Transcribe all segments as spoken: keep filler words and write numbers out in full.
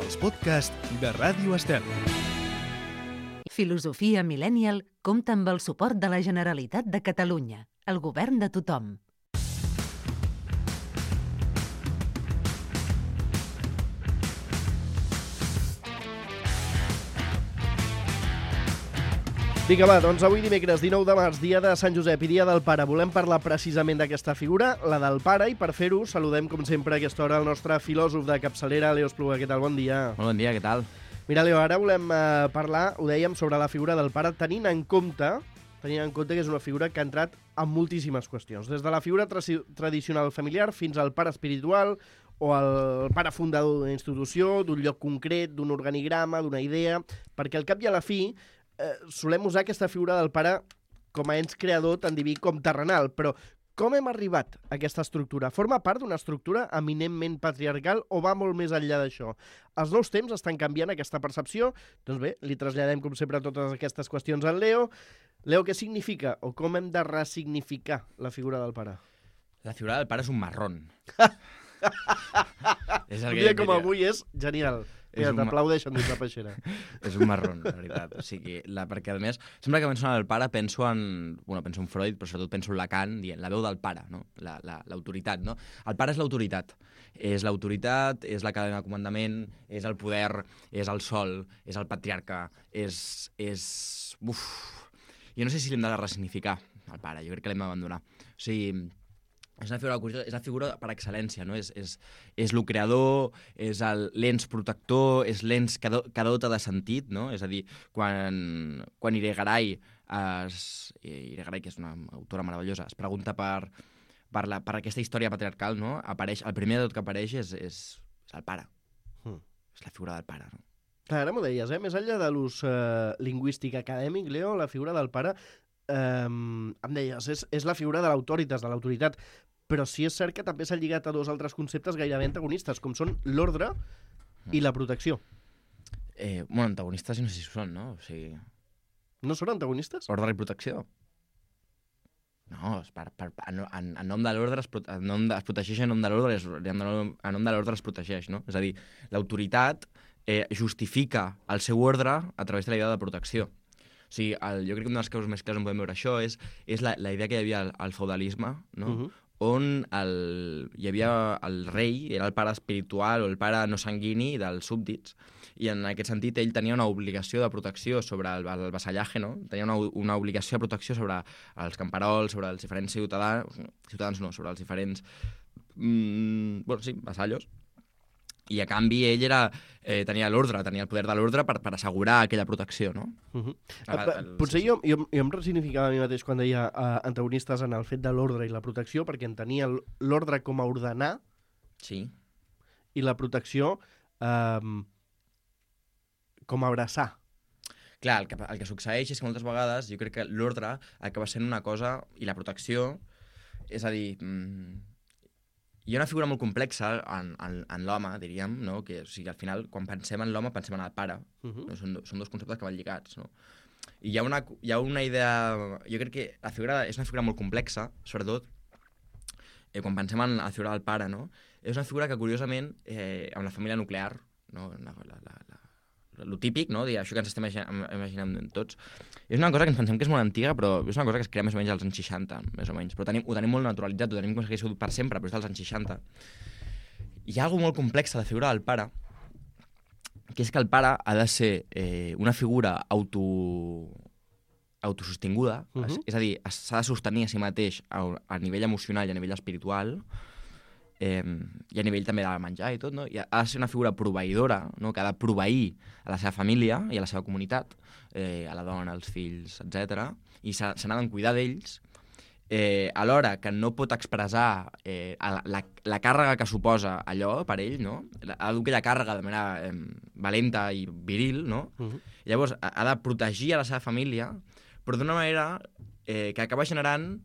els podcasts de Ràdio Estel. Filosofia Millennial compta amb el suport de la Generalitat de Catalunya, el govern de tothom. Vinga, va, doncs avui dimecres dinou de març, dia de Sant Josep i dia del pare. Volem parlar precisament d'aquesta figura, la del pare, i per fer-ho saludem, com sempre, a aquesta hora el nostre filòsof de capçalera, Leo Espluga. Què tal? Bon dia. Molt bon dia, què tal? Mira, Leo, ara volem eh, parlar, ho dèiem, sobre la figura del pare, tenint en compte tenint en compte que és una figura que ha entrat en moltíssimes qüestions. Des de la figura tra tradicional familiar fins al pare espiritual o el pare fundador d'una institució, d'un lloc concret, d'un organigrama, d'una idea, perquè al cap i a la fi eh, solem usar aquesta figura del pare com a ens creador tant diví com terrenal, però com hem arribat a aquesta estructura? Forma part d'una estructura eminentment patriarcal o va molt més enllà d'això? Els nous temps estan canviant aquesta percepció? Doncs bé, li traslladem, com sempre, totes aquestes qüestions al Leo. Leo, què significa o com hem de ressignificar la figura del pare? La figura del pare és un marrón. És un dia com avui és genial. Mira, un... t'aplaudeixen dins la peixera. És un marrón, la veritat. O sigui, la, perquè, a més, sempre que penso en el pare penso en... Bueno, penso en Freud, però sobretot penso en Lacan, dient la veu del pare, no? L'autoritat, no? El pare és l'autoritat. És l'autoritat, és la cadena de comandament, és el poder, és el sol, és el patriarca, és... és... Uf... Jo no sé si l'hem de ressignificar, el pare. Jo crec que l'hem d'abandonar. O sigui... És una figura curiosa, és la figura per excel·lència, no? És, és, és el creador, és l'ens protector, és l'ens que, do, que dota de sentit, no? És a dir, quan, quan Irigaray, es, Irigaray, que és una autora meravellosa, es pregunta per, per, la, per aquesta història patriarcal, no? Apareix, el primer de tot que apareix és, és, és el pare. Mm. És la figura del pare, no? Clar, ara m'ho deies, eh? Més enllà de l'ús eh, lingüístic acadèmic, Leo, la figura del pare... Um, em deies, és, és la figura de l'autoritas, de l'autoritat, però sí és cert que també s'ha lligat a dos altres conceptes gairebé antagonistes, com són l'ordre i la protecció. Eh, bueno, antagonistes no sé si són, no? O sigui... No són antagonistes? Ordre i protecció. No, per, per, en, en, en nom de l'ordre es, en nom de, es protegeix en nom de l'ordre, en nom de l'ordre es protegeix, no? És a dir, l'autoritat eh, justifica el seu ordre a través de la idea de protecció. O sigui, el, jo crec que una de les causes més clares on podem veure això és, és la, la idea que hi havia al, al feudalisme, no? Uh-huh. On el, hi havia el rei, era el pare espiritual o el pare no sanguini dels súbdits, i en aquest sentit ell tenia una obligació de protecció sobre el, el vassallatge, no? Tenia una, una obligació de protecció sobre els camperols, sobre els diferents ciutadans, ciutadans no, sobre els diferents, mm, bueno, sí, vassallos. I a canvi ell era, eh, tenia l'ordre, tenia el poder de l'ordre per, per assegurar aquella protecció, no? Uh-huh. el, el, Potser jo, jo, jo em resignificava a mi mateix quan deia uh, antagonistes en el fet de l'ordre i la protecció, perquè entenia l'ordre com a ordenar, sí, i la protecció um, com a abraçar. Clar, el que, el que succeeix és que moltes vegades jo crec que l'ordre acaba sent una cosa i la protecció, és a dir... Mm, hi ha una figura molt complexa en, en, en l'home, diríem, no? Que, o sigui, al final, quan pensem en l'home, pensem en el pare. Uh-huh. No? Són, són dos conceptes que van lligats, no? I hi ha, una, hi ha una idea... Jo crec que la figura és una figura molt complexa, sobretot, eh, quan pensem en la figura del pare, no? És una figura que, curiosament, eh, amb la família nuclear, no? La, la, la, la, lo típic, no? Dir, això que ens estem imaginant tots, és una cosa que ens pensem que és molt antiga, però és una cosa que es crea més o menys als anys seixanta, més o menys. Però tenim, ho tenim molt naturalitzat, ho tenim com si hagués sigut per sempre, però és dels anys seixanta. Hi ha alguna molt complexa de la figura del pare, que és que el pare ha de ser eh, una figura auto... autosostinguda, uh-huh. és, és a dir, s'ha de sostenir a si mateix a, a nivell emocional i a nivell espiritual, Eh, i a nivell també de menjar i tot, no? I ha de ser una figura proveïdora, no? Que ha de proveir a la seva família i a la seva comunitat, eh, a la dona, als fills, etcètera. I se n'ha de cuidar d'ells, eh, alhora que no pot expressar eh, la, la, la càrrega que suposa allò per ell, no? Ha de dur aquella càrrega de manera eh, valenta i viril, no? Uh-huh. I llavors ha, ha de protegir a la seva família, però d'una manera eh, que acaba generant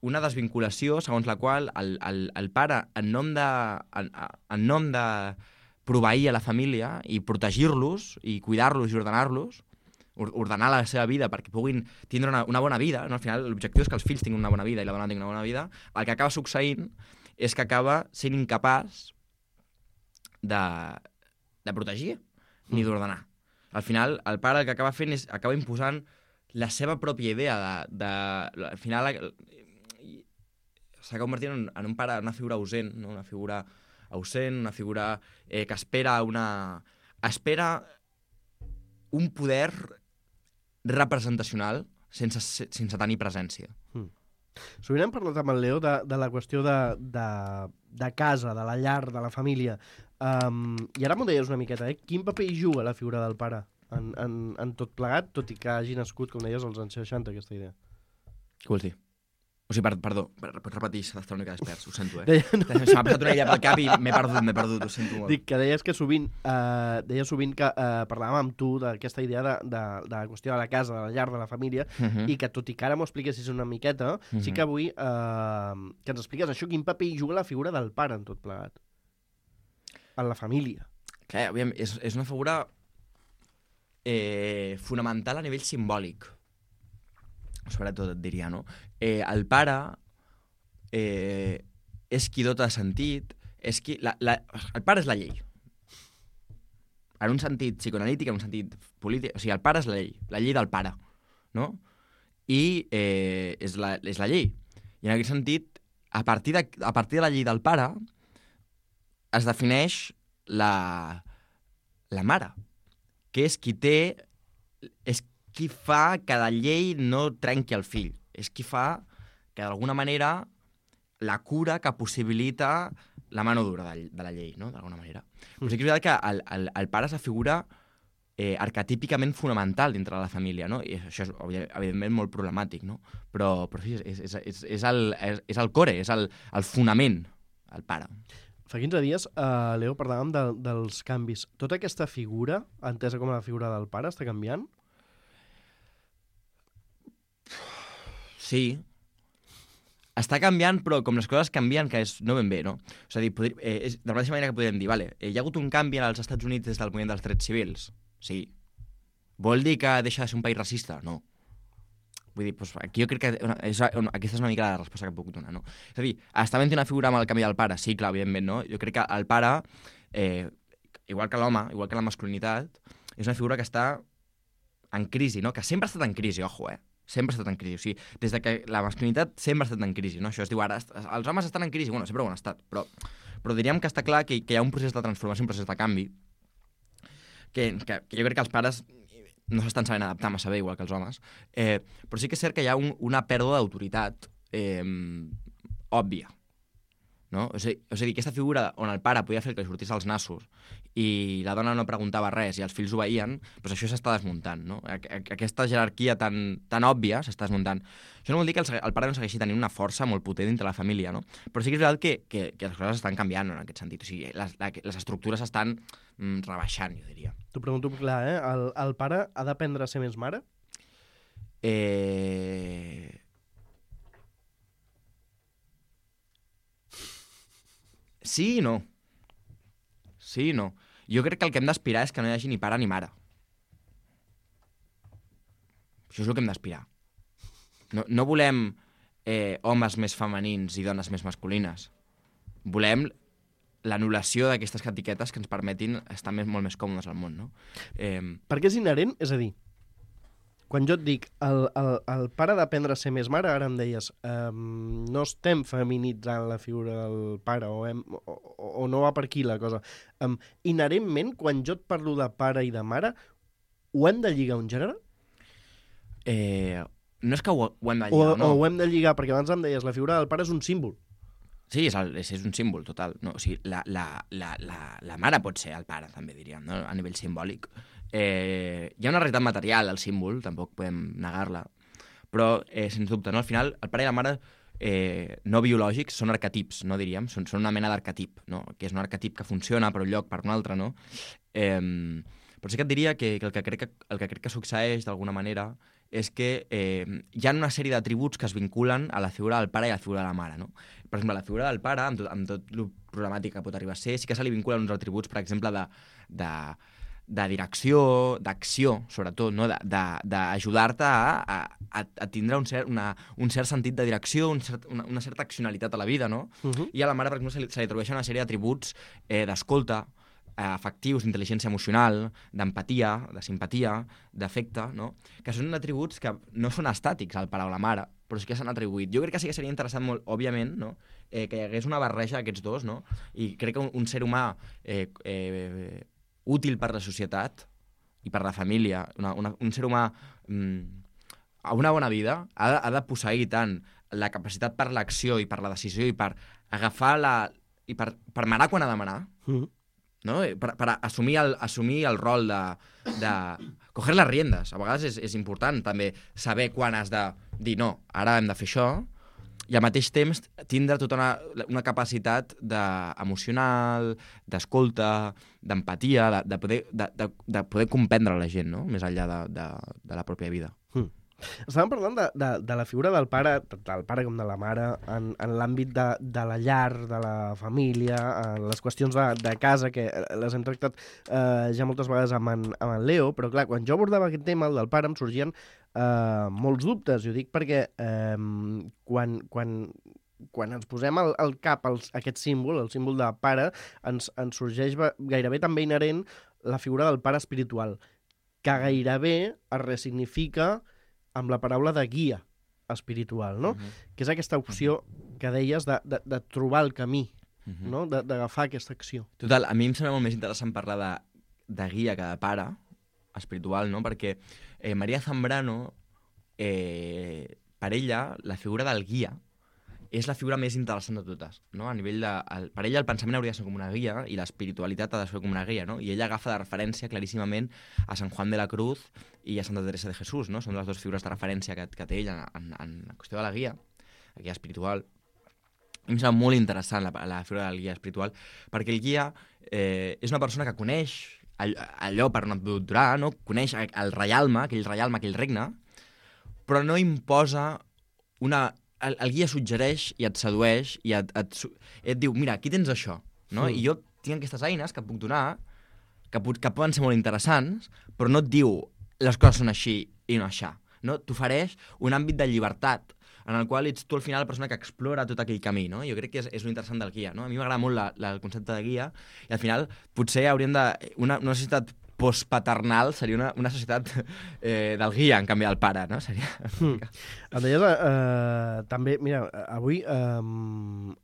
una desvinculació segons la qual el, el, el pare, en nom de, en, en nom de proveir a la família i protegir-los i cuidar-los i ordenar-los, ordenar la seva vida perquè puguin tindre una, una bona vida, no? Al final l'objectiu és que els fills tinguin una bona vida i la dona tingui una bona vida, el que acaba succeint és que acaba sent incapaç de, de protegir ni d'ordenar. Al final, el pare el que acaba fent és acaba imposant la seva pròpia idea de... de al final s'ha convertit en, en un pare, una figura ausent, no? Una figura ausent, una figura eh, que espera una... espera un poder representacional sense, sense tenir presència. Mm. Sovint hem parlat amb el Leo de, de la qüestió de, de, de casa, de la llar, de la família. Um, I ara m'ho deies una miqueta, eh? Quin paper hi juga la figura del pare en, en, en tot plegat, tot i que hagi nascut, com deies, als anys seixanta, aquesta idea? Què vols dir? O sigui, per, perdó, pots repetir, s'ha d'estar una mica desperts, ho sento, eh? Deia, no. Se m'ha passat una idea pel cap i m'he perdut, m'he perdut, ho sento molt. Dic que deies que sovint, eh, deies sovint que eh, parlàvem amb tu d'aquesta idea de, de, de la qüestió de la casa, de la llar, de la família, uh -huh. i que tot i que ara m'ho expliquessis una miqueta, uh -huh. sí que avui eh, que ens expliques això, quin paper hi juga la figura del pare en tot plegat. En la família. Clar, aviam, és, és una figura eh, fonamental a nivell simbòlic. Sobretot et diria, no? Eh, el pare eh, és qui dota de sentit, és qui... La, la, el pare és la llei. En un sentit psicoanalític, en un sentit polític... O sigui, el pare és la llei, la llei del pare, no? I eh, és, la, és la llei. I en aquest sentit, a partir de, a partir de la llei del pare, es defineix la, la mare, que és qui té... És qui fa que la llei no trenqui el fill. És qui fa que, d'alguna manera, la cura que possibilita la mano dura de, de la llei, no?, d'alguna manera. Mm. Però sí que és veritat que el, el, el pare és la figura eh, arquetípicament fonamental dintre de la família, no? I això és, evidentment, molt problemàtic, no? Però, però sí, és, és, és, és, el, és, és el core, és el, el fonament, el pare. Fa quinze dies, uh, Leo, parlàvem de, dels canvis. Tota aquesta figura, entesa com la figura del pare, està canviant? Sí. Està canviant, però com les coses canvien, que és no ben bé, no? És a dir, podri, eh, és, de la mateixa manera que podríem dir, vale, eh, hi ha hagut un canvi als Estats Units des del moviment dels drets civils? Sí. Vol dir que deixa de ser un país racista? No. Vull dir, doncs, aquí jo crec que una, és, una, aquesta és una mica la resposta que puc donar, no? És a dir, està havent una figura amb el canvi del pare? Sí, clar, evidentment, no? Jo crec que el pare, eh, igual que l'home, igual que la masculinitat, és una figura que està en crisi, no? Que sempre ha estat en crisi, ojo, eh? Sempre ha estat en crisi. O sigui, des de que la masculinitat sempre ha estat en crisi, no? Això es diu ara, els homes estan en crisi, bueno, sempre ho han estat, però, però diríem que està clar que, que hi ha un procés de transformació, un procés de canvi, que, que, que jo crec que els pares no s'estan sabent adaptar massa bé, igual que els homes, eh, però sí que és cert que hi ha un, una pèrdua d'autoritat eh, òbvia, no? O sigui, o sigui, aquesta figura on el pare podia fer el que li sortís als nassos i la dona no preguntava res i els fills obeïen, doncs això s'està desmuntant, no? Aquesta jerarquia tan, tan òbvia s'està desmuntant. Això no vol dir que el, el pare no segueixi tenint una força molt potent dintre la família, no? Però sí que és veritat que, que, que les coses estan canviant en aquest sentit. O sigui, les, les estructures s'estan mm, rebaixant, jo diria. T'ho pregunto clar, eh? El, el pare ha d'aprendre a ser més mare? Eh... Sí i no. Sí i no. Jo crec que el que hem d'aspirar és que no hi hagi ni pare ni mare. Això és el que hem d'aspirar. No, no volem eh, homes més femenins i dones més masculines. Volem l'anul·lació d'aquestes etiquetes que ens permetin estar més, molt més còmodes al món, no? Eh... Perquè és inherent, és a dir, quan jo et dic el, el, el pare d'aprendre a ser més mare, ara em deies, um, no estem feminitzant la figura del pare o, hem, o, o no va per aquí la cosa. Um, inherentment, quan jo et parlo de pare i de mare, ho hem de lligar a un gènere? Eh, no és que ho, ho hem de lligar, o, no. O ho hem de lligar, perquè abans em deies, la figura del pare és un símbol. Sí, és, el, és, és un símbol total. No? O sigui, la, la, la, la, la mare pot ser el pare, també diríem, no? A nivell simbòlic. Eh, hi ha una realitat material al símbol, tampoc podem negar-la, però, eh, sens dubte, no? Al final, el pare i la mare eh, no biològics són arquetips, no diríem, són, són una mena d'arquetip, no? Que és un arquetip que funciona per un lloc, per un altre, no? Eh, però sí que et diria que, que, el, que crec que el que crec que succeeix d'alguna manera és que eh, hi ha una sèrie d'atributs que es vinculen a la figura del pare i a la figura de la mare, no? Per exemple, la figura del pare, amb tot, amb tot el problemàtic que pot arribar a ser, sí que se li vinculen uns atributs, per exemple, de, de, de direcció, d'acció, sobretot, no? D'ajudar-te a, a, a tindre un cert, una, un cert sentit de direcció, un cert, una, una certa accionalitat a la vida, no? Uh-huh. I a la mare, per exemple, se li, se li atribueixen una sèrie d'atributs eh, d'escolta, afectius, d'intel·ligència emocional, d'empatia, de simpatia, d'afecte, no? Que són atributs que no són estàtics al pare o la mare, però sí que s'han atribuït. Jo crec que sí que seria interessant molt, òbviament, no? eh, que hi hagués una barreja d'aquests dos, no? I crec que un, un ser humà eh, eh, útil per la societat i per la família, una, una, un ser humà mm, a una bona vida, ha de, ha de posseir tant la capacitat per l'acció i per la decisió i per agafar la... i per, per manar quan ha de manar, mm. no? Per, per assumir, el, assumir el rol de, de coger les riendes. A vegades és, és important també saber quan has de dir no, ara hem de fer això, i al mateix temps tindre tota una, una capacitat de, emocional, d'escolta, d'empatia, de, de, poder, de, de, de poder comprendre la gent, no? Més enllà de, de, de la pròpia vida. Mm. Estàvem parlant de, de, de la figura del pare, del pare com de la mare, en, en l'àmbit de, de la llar, de la família, en les qüestions de, de casa, que les hem tractat eh, ja moltes vegades amb en, amb en Leo, però clar, quan jo abordava aquest tema, el del pare, em sorgien eh, molts dubtes. Jo dic perquè eh, quan, quan, quan ens posem al, al cap els, aquest símbol, el símbol de pare, ens, ens sorgeix gairebé també inherent la figura del pare espiritual, que gairebé es resignifica amb la paraula de guia espiritual, no? Uh-huh. Que és aquesta opció que deies de, de, de trobar el camí, uh-huh. no? D'agafar aquesta acció. Total, a mi em sembla molt més interessant parlar de, de guia que de pare espiritual, no? Perquè eh, Maria Zambrano, eh, per ella, la figura del guia és la figura més interessant de totes, no? A nivell de... El, per ella el pensament hauria de ser com una guia i l'espiritualitat ha de ser com una guia, no? I ella agafa de referència claríssimament a Sant Juan de la Cruz i a Santa Teresa de Jesús, no? Són les dues figures de referència que, que té ella en, en, en la qüestió de la guia, la guia espiritual. I em sembla molt interessant la, la figura del guia espiritual, perquè el guia eh, és una persona que coneix allò per on doctorar, no? Coneix el reialme, aquell reialme, aquell regne, però no imposa una... El, el guia suggereix i et sedueix i et, et, et diu, mira, aquí tens això, no? Mm. I jo tinc aquestes eines que et puc donar, que, que poden ser molt interessants, però no et diu les coses són així i no aixà, no? T'ofereix un àmbit de llibertat en el qual ets tu al final la persona que explora tot aquell camí, no? Jo crec que és, és l'interessant del guia, no? A mi m'agrada molt la, la, el concepte de guia i al final potser hauríem de... Una, una societat postpaternal seria una, una societat eh, del guia, en canvi del pare, no? Seria... Mm. Em deies, eh, també, mira, avui eh,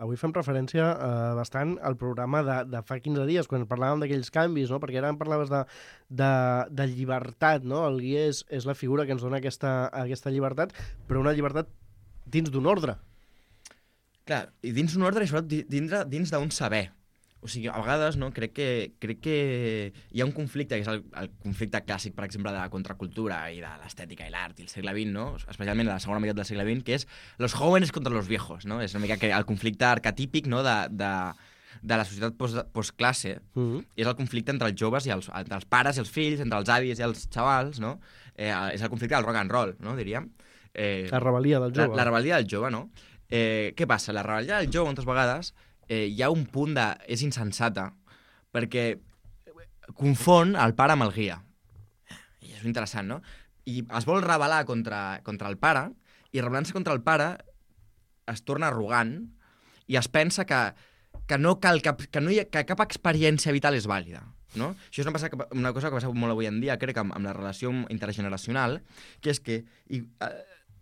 avui fem referència eh, bastant al programa de, de fa quinze dies, quan parlàvem d'aquells canvis, no? Perquè ara em parlaves de, de, de llibertat, no? El guia és, és la figura que ens dona aquesta, aquesta llibertat, però una llibertat dins d'un ordre. Clar, i dins d'un ordre i sobretot dins, dins d'un saber. O sigui, a vegades, no, crec que, crec que hi ha un conflicte, que és el, el conflicte clàssic, per exemple, de la contracultura i de l'estètica i l'art i el segle vint, no? Especialment a la segona meitat del segle vint, que és los jóvenes contra los viejos, no? És una mica que el conflicte arquetípic, no?, de, de, de la societat post, postclasse, uh-huh. és el conflicte entre els joves i els, entre els pares i els fills, entre els avis i els xavals, no? Eh, és el conflicte del rock and roll, no?, diríem. Eh, la rebel·lia del jove. La, la rebel·lia del jove, no? Eh, què passa? La rebel·lia del jove, moltes vegades, eh, hi ha un punt de... és insensata, perquè confon el pare amb el guia. I és interessant, no? I es vol rebel·lar contra, contra el pare, i rebel·lant-se contra el pare es torna arrogant i es pensa que, que, no cal cap, que, no hi ha, que cap experiència vital és vàlida. No? Això és una, passa, una cosa que passa molt avui en dia, crec, amb, amb la relació intergeneracional, que és que i, eh,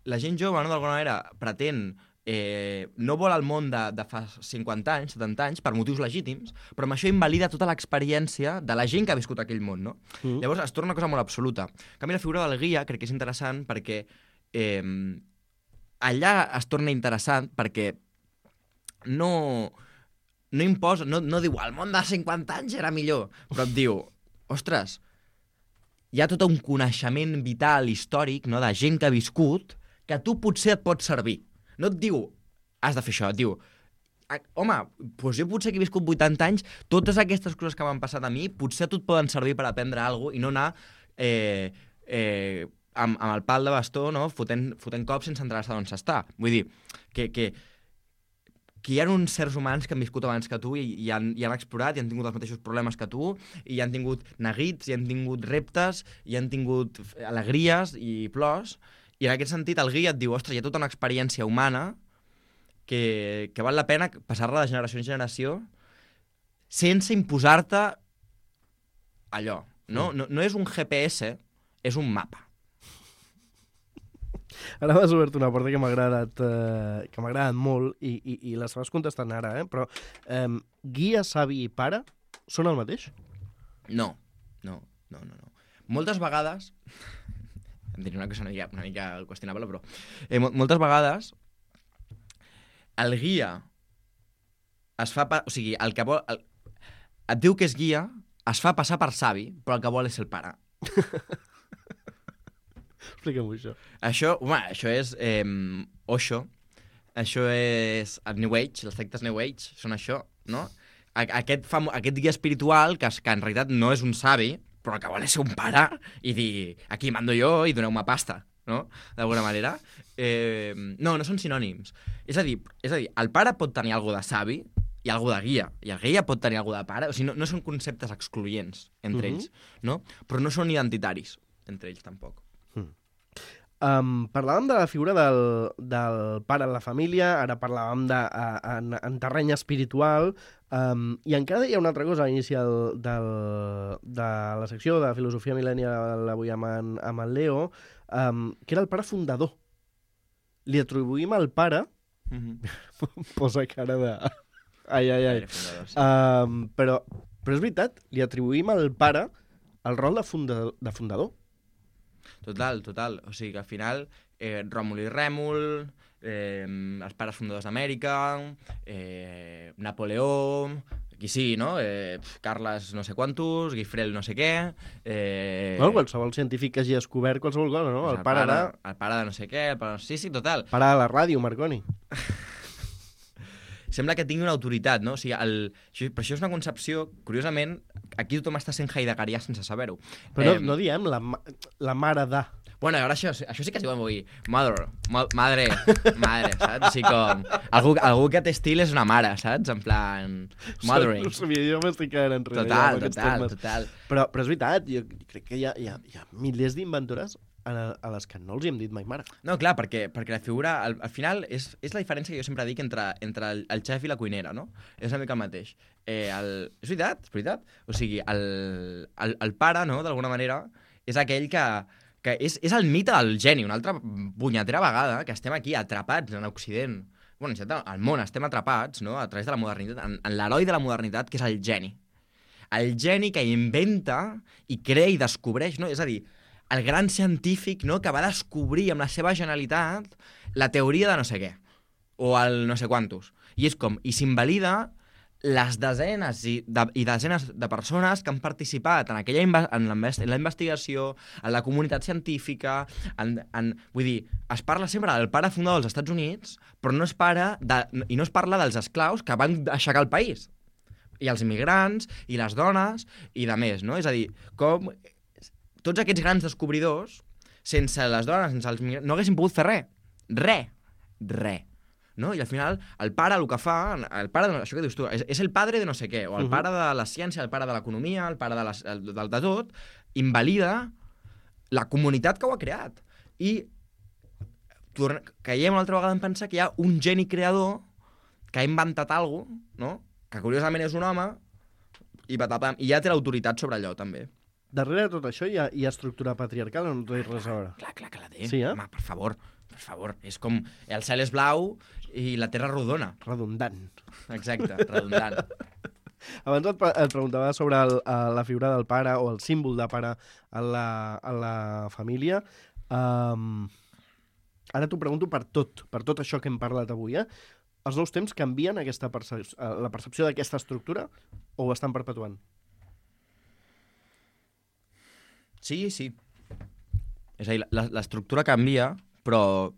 la gent jove, no, d'alguna manera, pretén... Eh, no vol el món de, de fa cinquanta anys, setanta anys, per motius legítims, però amb això invalida tota l'experiència de la gent que ha viscut aquell món, no? Mm. Llavors es torna una cosa molt absoluta. En canvi, la figura del guia crec que és interessant perquè eh, allà es torna interessant perquè no, no imposa, no, no diu el món de cinquanta anys era millor, però et diu, ostres, hi ha tot un coneixement vital, històric, no?, de gent que ha viscut, que a tu potser et pot servir. No et diu, has de fer això, et diu, home, doncs jo potser que he viscut vuitanta anys, totes aquestes coses que m'han passat a mi, potser a tu et poden servir per aprendre alguna cosa i no anar eh, eh, amb, amb el pal de bastó, no?, fotent, fotent cops sense entrar d'on s'està. Vull dir, que, que, que hi ha uns certs humans que han viscut abans que tu i, i, han, i han explorat i han tingut els mateixos problemes que tu i han tingut neguits, i han tingut reptes, i han tingut alegries i plors. I en aquest sentit el guia et diu, ostres, hi ha tota una experiència humana que, que val la pena passar-la de generació en generació sense imposar-te allò. No, no, no és un G P S, és un mapa. Ara m'has obert una porta que m'ha agradat, eh, que m'ha agradat molt i, i, i les vas contestant ara, eh? Però eh, guia, savi i pare són el mateix? No, no, no, no. no. Moltes vegades, em diré una cosa una mica, una mica qüestionable, però eh, moltes vegades el guia es fa... Pa... O sigui, el que vol... El... Et diu que és guia, es fa passar per savi, però el que vol és el pare. Explica'm això. Això, home, això és eh, Osho, això és el New Age, els sectes New Age, són això, no? Aquest, famo... Aquest guia espiritual, que, que en realitat no és un savi, però que vol ser un pare i dir, aquí mando jo i doneu-me pasta, no? D'alguna manera. Eh, no, no són sinònims. És a dir, és a dir, el pare pot tenir alguna de savi i alguna de guia, i el guia pot tenir alguna de pare. O sigui, no, no són conceptes excloents entre uh-huh. ells, no? Però no són identitaris entre ells, tampoc. Mm. Um, parlàvem de la figura del, del pare en la família, ara parlàvem de, a, en, en terreny espiritual, um, i encara hi ha una altra cosa a l'inici del, del, de la secció de filosofia mil·lennial avui amb en, amb en Leo, um, que era el pare fundador. Li atribuïm al pare... Mm-hmm. Posa cara de... Ai, ai, ai. Fundador, sí. um, però, però és veritat, li atribuïm al pare el rol de, funda, de fundador. Total, total. O sigui que al final eh, Ròmul i Rèmul, eh, els pares fundadors d'Amèrica, eh, Napoleó, qui sí, no? Eh, Carles no sé quantos, Guifrel no sé què... Eh... Bueno, qualsevol científic que hagi descobert qualsevol cosa, no? El, el pare, pare era... El pare de no sé què... El pare... Sí, sí, total. Pare de la ràdio, Marconi. Sembla que tingui una autoritat, no? O sigui, el... però això és una concepció, curiosament, aquí tothom està sent heideggerià sense saber-ho. Però eh... no, no diem la, la mare de... Bueno, ara això, això sí que es diu avui. Mother, ma madre, madre, saps? O sigui, com... Algú, algú que té estil és una mare, saps? En plan... Mothering. No sabia, jo m'estic quedant enrere. Total, total, total. Però, però és veritat, jo crec que hi ha, hi ha, hi ha milers d'inventores a, a les que no els hi hem dit mai mare. No, clar, perquè, perquè la figura, al, al final, és, és la diferència que jo sempre dic entre, entre el, el xef i la cuinera, no? És una mica el mateix. Eh, el... És veritat, és veritat. O sigui, el, el, el pare, no?, d'alguna manera, és aquell que... que és, és el mite del geni, una altra punyetera vegada que estem aquí atrapats en Occident. Bueno, al món estem atrapats, no?, a través de la modernitat, en, en l'heroi de la modernitat, que és el geni. El geni que inventa i crea i descobreix, no? És a dir, el gran científic, no?, que va descobrir amb la seva genialitat la teoria de no sé què, o el no sé quantos. I és com, i s'invalida les desenes i, de, i desenes de persones que han participat en aquella inve en, en la investigació, en la comunitat científica, en, en, vull dir, es parla sempre del pare fundador dels Estats Units, però no es, para de, i no es parla dels esclaus que van aixecar el país, i els immigrants, i les dones, i de més, no? És a dir, com tots aquests grans descobridors, sense les dones, sense els immigrants, no haguessin pogut fer res. Res. Res. No? I al final el pare el que fa, el pare de, això que dius tu, és, és el padre de no sé què, o el uh -huh. pare de la ciència, el pare de l'economia, el pare de, les, el, de, de tot, invalida la comunitat que ho ha creat. I caiem una altra vegada en pensar que hi ha un geni creador que ha inventat alguna cosa, no? Que curiosament és un home, i, i ja té l'autoritat sobre allò, també. Darrere de tot això hi ha, hi ha estructura patriarcal o no té res a veure? Clar, clar que la té. Sí, eh? Home, per favor, per favor. És com el cel és blau i la terra rodona. Redundant. Exacte, redundant. Abans et, et preguntava sobre el, la figura del pare o el símbol de pare en la, en la família. Um, ara t'ho pregunto per tot, per tot això que hem parlat avui. Eh? Els nous temps canvien aquesta percep la percepció d'aquesta estructura o ho estan perpetuant? Sí, sí. És a dir, l'estructura canvia, però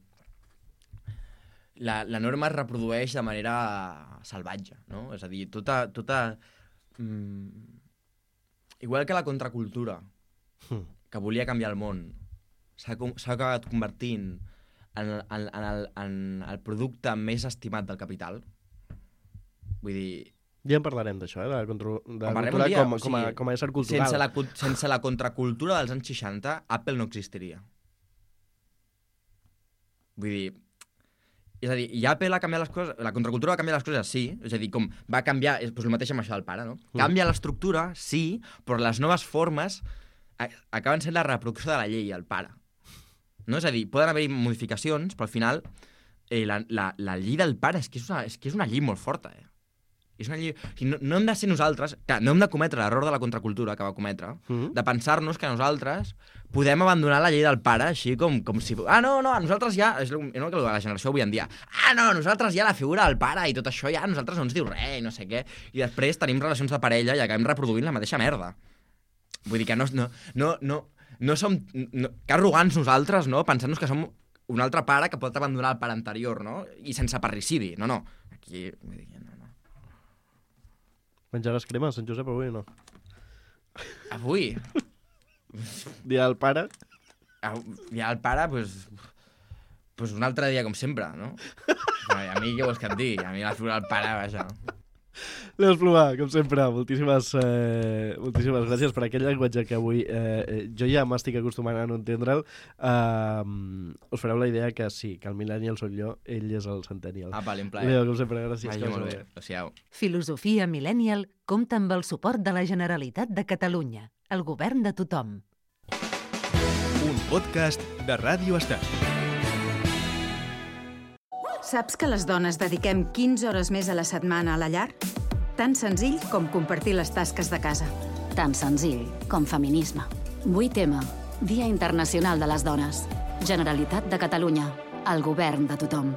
la, la norma es reprodueix de manera salvatge, no? És a dir, tota... tota mm, igual que la contracultura, mm. que volia canviar el món, s'ha acabat convertint en, en, en, el, en el producte més estimat del capital. Vull dir... Ja en parlarem d'això, eh? de la, contra... de la cultura dia, com, com, a, com a ésser cultural. Sense la, sense la contracultura dels anys seixanta, Apple no existiria. Vull dir, És a dir, ja Apple ha canviat les coses, la contracultura va canviar les coses, sí, és a dir, com va canviar, és doncs el mateix amb això del pare, no? Mm. Canvia l'estructura, sí, però les noves formes a- acaben sent la reproducció de la llei, el pare. No? És a dir, poden haver-hi modificacions, però al final eh, la, la, la llei del pare és que és una, és que és una llei molt forta, eh? És una llei... O sigui, no, no hem de ser nosaltres... Clar, no hem de cometre l'error de la contracultura que va cometre, Mm. de pensar-nos que nosaltres podem abandonar la llei del pare així com, com si... Ah, no, no, a nosaltres ja... És el és el que la generació avui en dia. Ah, no, nosaltres ja la figura del pare i tot això ja a nosaltres no ens diu res i no sé què. I després tenim relacions de parella i acabem reproduint la mateixa merda. Vull dir que no... no, no, no, no som... No, que arrogants nosaltres, no? Pensant-nos que som un altre pare que pot abandonar el pare anterior, no? I sense parricidi. No, no. Aquí... Vull dir, no, no. Menjaràs crema, Sant Josep, avui o no? Avui... Dia del pare. Au, ja el pare, pues, pues un altre dia com sempre, no? Però a mi què vols que et digui? A mi la figura del pare, vaja. Leo Espluga, com sempre, moltíssimes, eh, moltíssimes gràcies per aquell llenguatge que avui eh, jo ja m'estic acostumant a no entendre'l. Uh, us fareu la idea que sí, que el millennial soc jo, ell és el centennial. Apa, en plaer. Leo, com sempre, gràcies. Vagi que molt vagi bé. Adéu-siau. Filosofia Millennial compta amb el suport de la Generalitat de Catalunya, el govern de tothom. Un podcast de Ràdio Estel. Saps que les dones dediquem quinze hores més a la setmana a la llar? Tan senzill com compartir les tasques de casa. Tan senzill com feminisme. vuit ema, Dia Internacional de les Dones. Generalitat de Catalunya. El govern de tothom.